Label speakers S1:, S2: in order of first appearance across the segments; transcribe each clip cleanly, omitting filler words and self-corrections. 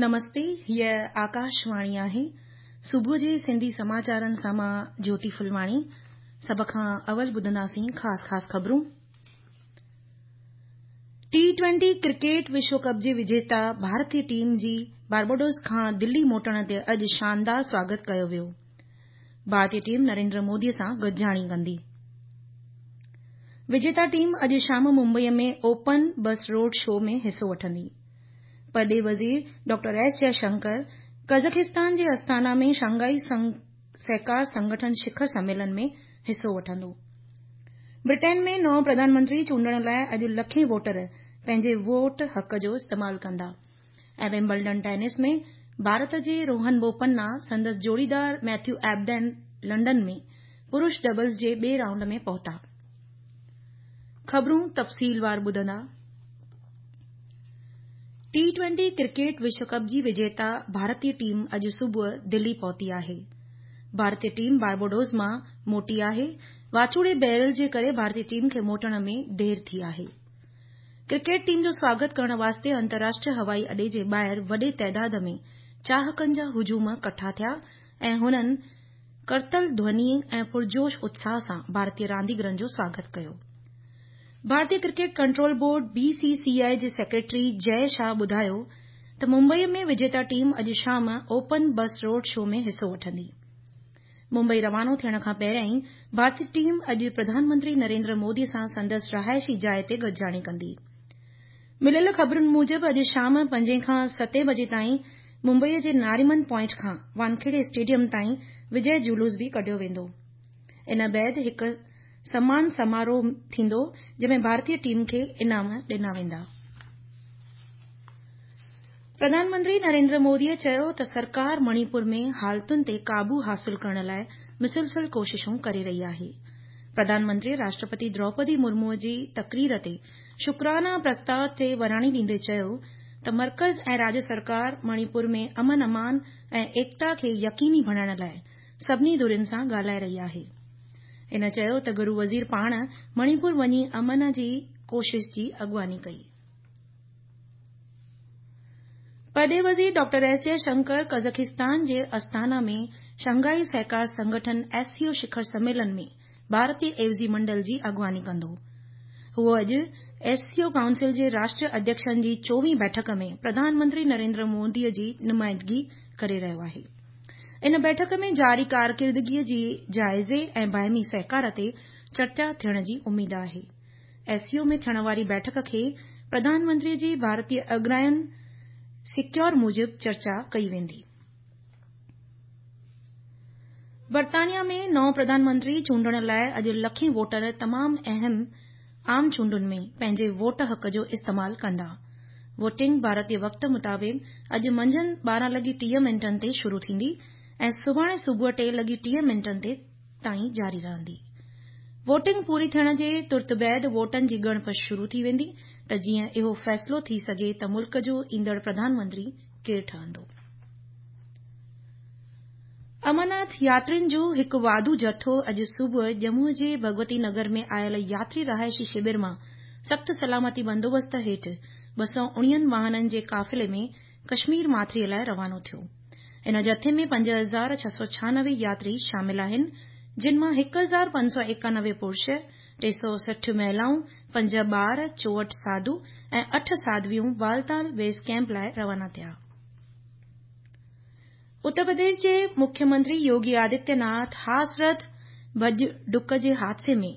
S1: نمستي، هيء آڪاشواڻي آهي. صبح جي سنڌي سماچارن سان مان جيوتي ڦلواڻي. سڀ کان اول ٻڌنداسين خاص خاص خبرون. ٽي ٽوئنٽي ڪرڪيٽ وشو ڪپ جي وجيتا ڀارتي ٽيم جي بارباڊوس کان دلي موٽڻ تي اڄ شاندار سواگت ڪيو ويو. ڀارتي ٽيم نريندر مودي سان گڏجاڻي ڪندي. وجيتا ٽيم اڄ شام ممبئي ۾ اوپن بس روڊ شو ۾ حصو وٺندي. پرڏيهي وزير ڊاڪٽر ايس جئه شنڪر قزاخستان جي استانا ۾ شنگهائي سهڪار سنگٺن شکر سميلن ۾ حصو وٺندو. برٽين ۾ نئون پرڌان منتري چونڊڻ لاء اڄ لکين ووٽر پنهنجي ووٽ حق جو استعمال ڪندا ۽ ومبلڊن ٽينس ۾ ڀارت جي روهن بوپنا سندس جوڙيدار ميٿيو ايبڊين لنڊن ۾ پرش ڊبلز جي ٻئي رائونڊ ۾ پهتا. خبرون تفصيلوار ٻڌندا. ٽي ٽوئنٽي ڪرڪيٽ وشو ڪپ جي وجيتا ڀارتي ٽيم اڄ صبح دلي پهتي آهي. ڀارتي ٽيم بارباڊوس مان موٽي آهي. واچوڙي بيرل جي ڪري ڀارتي ٽيم کي موٽڻ ۾ دير ٿي آهي. ڪرڪيٽ ٽيم جو سواگت ڪرڻ واسطي انترراشٽريه هوائي اڏي جي ٻاهر وڏي تعداد ۾ چاهڪن جا هجوم ڪٺا ٿيا ۽ هنن ڪرتل ڌوني ۽ پرجوش اتساهه سان ڀارتي رانديگرن جو سواگت ڪيو. ڀارتي cricket control board, B C C I, جي سيڪريٽري جئه شاهه ٻڌايو ته ممبئي ۾ وجيتا ٽيم اڄ شام اوپن بس روڊ شو ۾ حصو وٺندي. ممبئي روانو ٿيڻ کان پهريائين ڀارتي ٽيم اڄ پرڌان منتري نريندر مودي سان سندس رهائشي جاء تي گڏجاڻي ڪندي. مليل خبرن موجب اڄ شام پنجين کان ستين بجي تائين ممبئي جي ناريمن پوائنٽ کان وانکيڙي اسٽيڊيم تائين وجئه جلوس به ڪڍيو ويندو. ان بعد هڪ سمان سماروهه ٿيندو جنهن ۾ ڀارتي ٽيم کي انعام ڏنا ويندا. پرڌان منتري نريندر مودي چيو ته سرڪار مڻيپور ۾ حالتن تي قابو حاصل ڪرڻ لاء مسلسل ڪوششون ڪري رهي آهي. پرڌان منتري راشٽرپتي دروپدي مرمو جي تقرير تي شڪرانا پرستاء تي وراڻي ڏيندي چيو ته مرڪز ۽ راڄ سرڪار مڻيپور ۾ امن امان ۽ ايڪتا کي يقيني بڻائڻ لاء سڀني ڌرين سان ڳالهائي رهي آهي. هن چيو ته گهرو وزير پاڻ مڻيپور وڃي امن جي ڪوشش جي اڳواڻي ڪئي. پرڏيهي وزير ڊاڪٽر ايس جئه شنڪر قزاخستان جي استانا ۾ شنگهائي سهڪار سنگٺن، ايس سي او، شکر سميلن ۾ ڀارتي عيوضي منڊل جي اڳواڻي ڪندو. هو اڄ ايس سي او ڪائونسل جي راشٽريه اڌيڪشن جي چوويهين بيٺڪ ۾ پرڌان منتري نريندر مودي جي نمائندگي ڪري رهيو آهي. ان بيٺڪ ۾ جاري ڪارڪردگي جي جائزي ۽ باهمي سهڪار تي چرچا ٿيڻ جي اميد آهي. ايس سي او ۾ ٿيڻ واري بيٺڪ کي پرڌان منتري جي ڀارتي اڳراين سيڪيور موجب چرچا ڪئي ويندي. برطانيا ۾ نئون پرڌان منتري چونڊڻ لاء اڄ لکين ووٽر تمام اهم عام چونڊن ۾ پنهنجي ووٽ حق جو استعمال ڪندا. ووٽنگ ڀارتي وقت مطابق اڄ منجهند 12 لڳي 30 منٽن تي شروع ٿيندي ۽ سڀاڻي صبح 3 لڳي 30 منٽن تي تائين جاري رهندي. ووٽنگ پوري ٿيڻ جي ترت بعد ووٽن جي ڳڻپ شروع ٿي ويندي ته جيئن اهو فيصلو ٿي سگهي ته ملڪ جو ايندڙ پرڌان منتري ڪير ٺهندو. امرناٿ ياترين جو هڪ واڌو جٿو اڄ صبح ڄمون جي ڀڳوتي نگر ۾ آيل ياتري رهائشي شبر مان سخت سلامتي بندوبست هيٺ 219 واهنن جي قافلي ۾ ڪشمير ماٿري لاء روانو ٿيو. ان جٿي ۾ 5696 ياتري شامل آهن، جن مان 1591 پرش، 360 مهلائون، پنج ٻار، 64 ساڌو ۽ اٺ ساڌويون بالتال بيس ڪئمپ لاء روانا ٿيا. اتر پرديش جي مکيه منتري يوگي آدتيه ناٿ هاٿرس ڀڄ ڊڪ جي حادثي ۾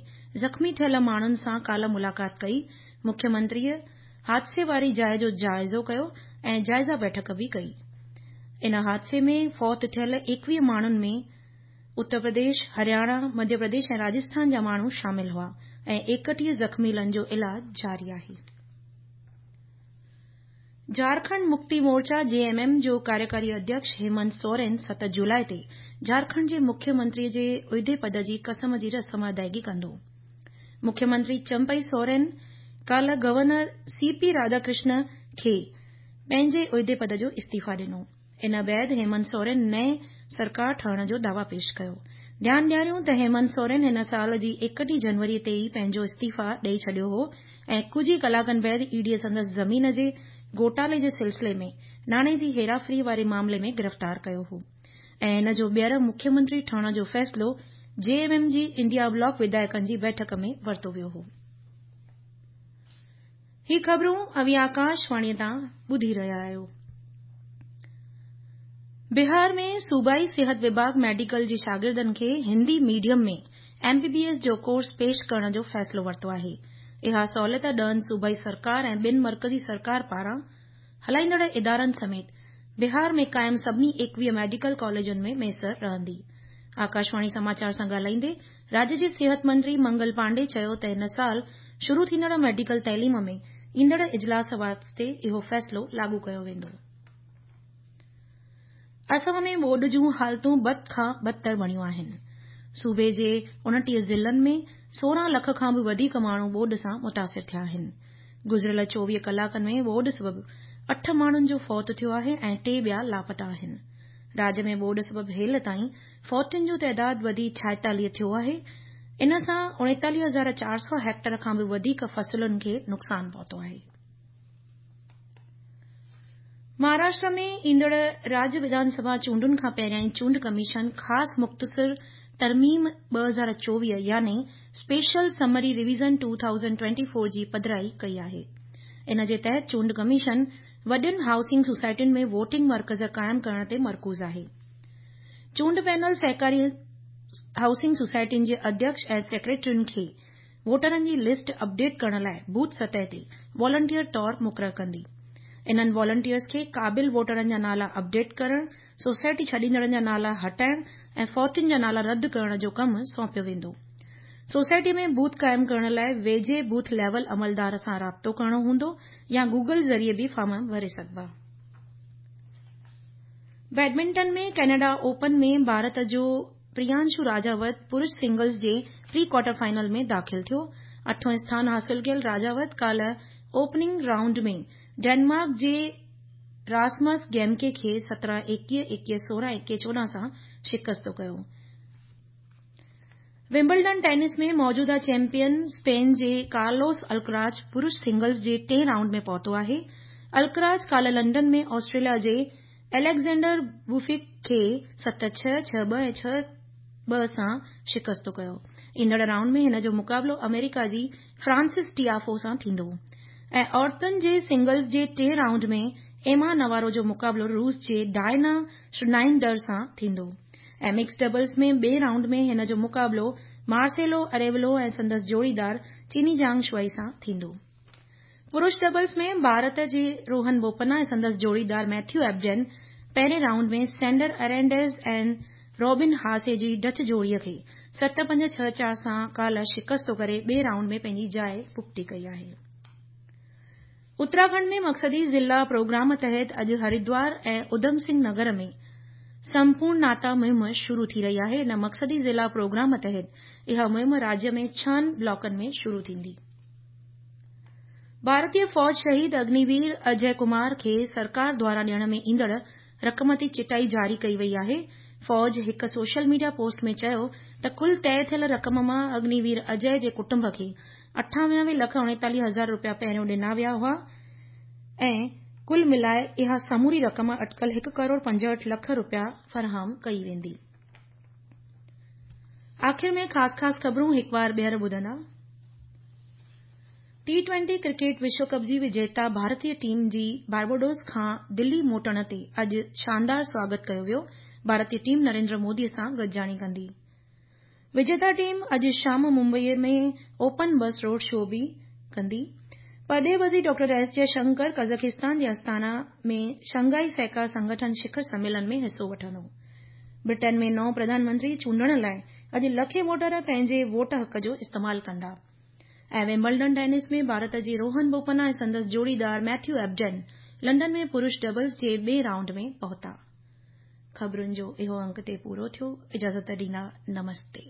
S1: زخمي ٿيل ماڻهن سان ڪالهه ملاقات ڪئي. مکيه منتريء حادثي واري جاء جو جائزو ڪيو ۽ جائزه بيٺڪ به ڪئي. ان حادثي ۾ فوت ٿيل 21 ماڻهن ۾ اتر پرديش، هرياڻا، مڌيه پرديش ۽ راجسٿان جا ماڻهو شامل هئا ۽ 31 زخميلن جو علاج جاري آهي. جهارکنڊ مڪتي مورچا، جي ايم ايم، جو ڪاريڪاري اڌيڪش هيمنت سورين 7 جولاء تي جهارکنڊ جي مکيه منتري جي عهدي پد جي قسم جي رسم ادائگي ڪندو. مکيه منتري چمپئي سورين ڪالهه گورنر سي پي راڌاڪرشن کي پنهنجي عهدي پد جو استعيفيٰ ڏنو. ان بعد هيمنت سورين نئين سرڪار ٺهڻ جو دعويٰ پيش ڪيو. ڌيان ڏياريون ته هيمنت سورين هن سال جي 31 جنوري تي ئي پنهنجو استعيفيٰ ڏئي ڇڏيو هو ۽ ڪجهه ئي ڪلاڪن بعد اي ڊي سندس زمين جي گهوٽالي جي سلسلي ۾ ناڻي جي هيراڦيري واري معاملي ۾ گرفتار ڪيو هو ۽ هن جو ٻيهر مکيه منتري ٺهڻ جو فيصلو جي ايم ايم جي انڊيا بلاڪ وڌايڪن جي بيٺڪ ۾ ورتو ويو هو. هي خبرون اوهين آڪاشواڻي تان ٻڌي رهيا آهيو. بهار ۾ صوبائي صحت وڀاڳ ميڊيڪل جي شاگردن کي Hindi medium ۾ M B B S جو ڪورس پيش ڪرڻ جو فيصلو ورتو آهي. اها سهولت ڏهن صوبائي سرڪار ۽ ٻن مرڪزي سرڪار پاران هلائيندڙ ادارن سميت بهار ۾ قائم سڀني 21 ميڊيڪل ڪاليجن ۾ ميسر رهندي. آڪاشواڻي سماچار سان ڳالهائيندي راجيه جي صحت منتري منگل پانڊي چيو ته هن سال شروع ٿيندڙ ميڊيڪل تعليم ۾ ايندڙ اجلاس واسطي اهو فيصلو لاڳو ڪيو ويندو. اسم ۾ ٻوڏ جون حالتون بد کان بدتر بڻيون آهن. صوبي جي 29 ضلعن ۾ 16 لک کان به وڌيڪ ماڻهو ٻوڏ سان متاثر ٿيا آهن. گذريل 24 ڪلاڪن ۾ ٻوڏ سبب 8 ماڻهن جو فوت ٿيو آهي ۽ 3 ٻيا لاپتا آهن. راڄ ۾ ٻوڏ سبب هيل تائين فوتين جو تعداد وڌي 46 ٿيو آهي. ان سان 39400 هيڪٽر کان به وڌيڪ فصلن کي نقصان پهتو آهي. مهاراشٽر ۾ ايندڙ راجيه وڌان سڀا چونڊن کان پهريائين چونڊ ڪميشن خاص مختصر ترميم 2024 يعني اسپيشل سمري ريويزن 2024 جي پڌرائي ڪئي آهي. ان جي تحت چونڊ ڪميشن وڏين هائوسنگ سوسائٽين ۾ ووٽنگ مرڪز قائم ڪرڻ تي مرڪوز آهي. چونڊ پينل سهڪاري هائوسنگ سوسائٽين جي اڌيڪش ۽ سيڪريٽرين کي ووٽرن جي لسٽ اپڊيٽ ڪرڻ لاء بوٿ سطح تي والنٽيئر طور مقرر ڪندي. انهن والنٽيئرز کي قابل ووٽرن جا نالا اپڊيٽ ڪرڻ، سوسائٽي ڇڏيندڙن جا نالا هٽائڻ ۽ فوتين جا نالا رد ڪرڻ جو ڪم سونپيو ويندو. سوسائٽي ۾ بوٿ قائم ڪرڻ لاء ويجهي بوٿ ليول عملدار سان رابطو ڪرڻو هوندو يا گوگل ذريعي به فارم ڀري سگهبا. بيڊمنٽن ۾ ڪينيڊا اوپن ۾ ڀارت جو پريانشو راجاوت پرش سنگلز جي پري ڪوارٽر فائنل ۾ داخل ٿيو. اٺون اسٿان حاصل ڪيل راجاوت ڪالهه اوپننگ رائونڊ ۾ ڊينمارڪ جي راسمس گيمڪي کي 17 21، 21 16، 21 14 سان شڪست ڪيو. ومبلڊن ٽينس ۾ موجوده چيمپيئن اسپين جي ڪارلوس الڪراز پرش سنگلز جي ٽئين رائونڊ ۾ پهتو آهي. الڪراز ڪالهه لنڊن ۾ آسٽريليا جي اليگزينڊر بوفڪ کي 7 6، 6 2 ۽ 6 2 سان شڪست ڪيو. ايندڙ رائونڊ ۾ هن جو مقابلو آمريڪا جي فرانسس ٽيافو سان ٿيندو ۽ عورتن جي سنگلز جي ٽئين رائونڊ ۾ ايما نوارو جو مقابلو روس جي ڊائنا شنائيڊر سان ٿيندو ۽ مڪس ڊبلز ۾ ٻئين رائونڊ ۾ هن جو مقابلو مارسيلو اريولو ۽ سندس جوڙيدار چيني جانگ شوائي سان ٿيندو. پرش ڊبلز ۾ ڀارت جي روهن بوپنا ۽ سندس جوڙيدار ميٿيو ايبڊين پهرين رائونڊ ۾ سينڊر ارينڊيز ۽ روبن هاسي جي ڊچ جوڙي کي 7 5 6 4 سان ڪالهه شڪست ڪري ٻئي رائونڊ ۾ پنهنجي جاء پختي ڪئي آهي. اتراکنڊ ۾ مقصدي ضلع پروگرام تحت اڄ هردوار ۽ اڌم سنگهه نگر ۾ سمپورن ناتا مهم شروع ٿي رهي آهي. ان مقصدي ضلع پروگرام تحت اها مهم راجيه ۾ ڇهن بلاڪن ۾ شروع ٿيندي. ڀارتي فوج شهيد اگنيوير اجي ڪمار کي سرڪار دواران ڏيڻ ۾ ايندڙ رقم تي چٽائي جاري ڪئي وئي آهي. فوج هڪ سوشل ميڊيا پوسٽ ۾ چيو ته ڪل طئي ٿيل رقم مان اگنيوير اجي جي ڪٽنب کي 98 لک 39 هزار رپيا پهريون ڏنا ويا هئا ۽ ڪل ملائي اها سموري رقم اٽڪل 1 ڪروڙ 65 لک رپيا فراهم ڪئي ويندي. آخر ۾ خاص خاص خبرون هڪ بار ٻيهر ٻڌندا. ٽي ٽوئنٽي ڪرڪيٽ وشو ڪپ جي وجيتا ڀارتي ٽيم جي بارباڊوس کان دلي موٽڻ تي اڄ شاندار سواگت ڪيو ويو. ڀارتي ٽيم نريندر مودي سان گڏجاڻي ڪندي. وجيتا ٽيم اڄ شام ممبئي ۾ اوپن بس روڊ شو به ڪندي. پرڏيهي وزير ڊاڪٽر ايس جئه شنڪر قزاقستان جي آستانا ۾ شنگهائي سهڪار سنگٺن شکر سميلن ۾ حصو وٺندو. برٽن ۾ نئون پرڌان منتري چونڊڻ لاء اڄ لکين ووٽر پنهنجي ووٽ حق جو استعمال ڪندا. ۽ ومبلڊن ٽينس ۾ ڀارت جي روهن بوپنا ۽ سندس جوڙيدار ميٿيو ايبڊن لنڊن ۾ پرش ڊبلز جي ٻئي رائونڊ ۾ پهتا. خبرن جو اهو انڪ تي پورو ٿيو. اجازت ڏيندا. نمستي.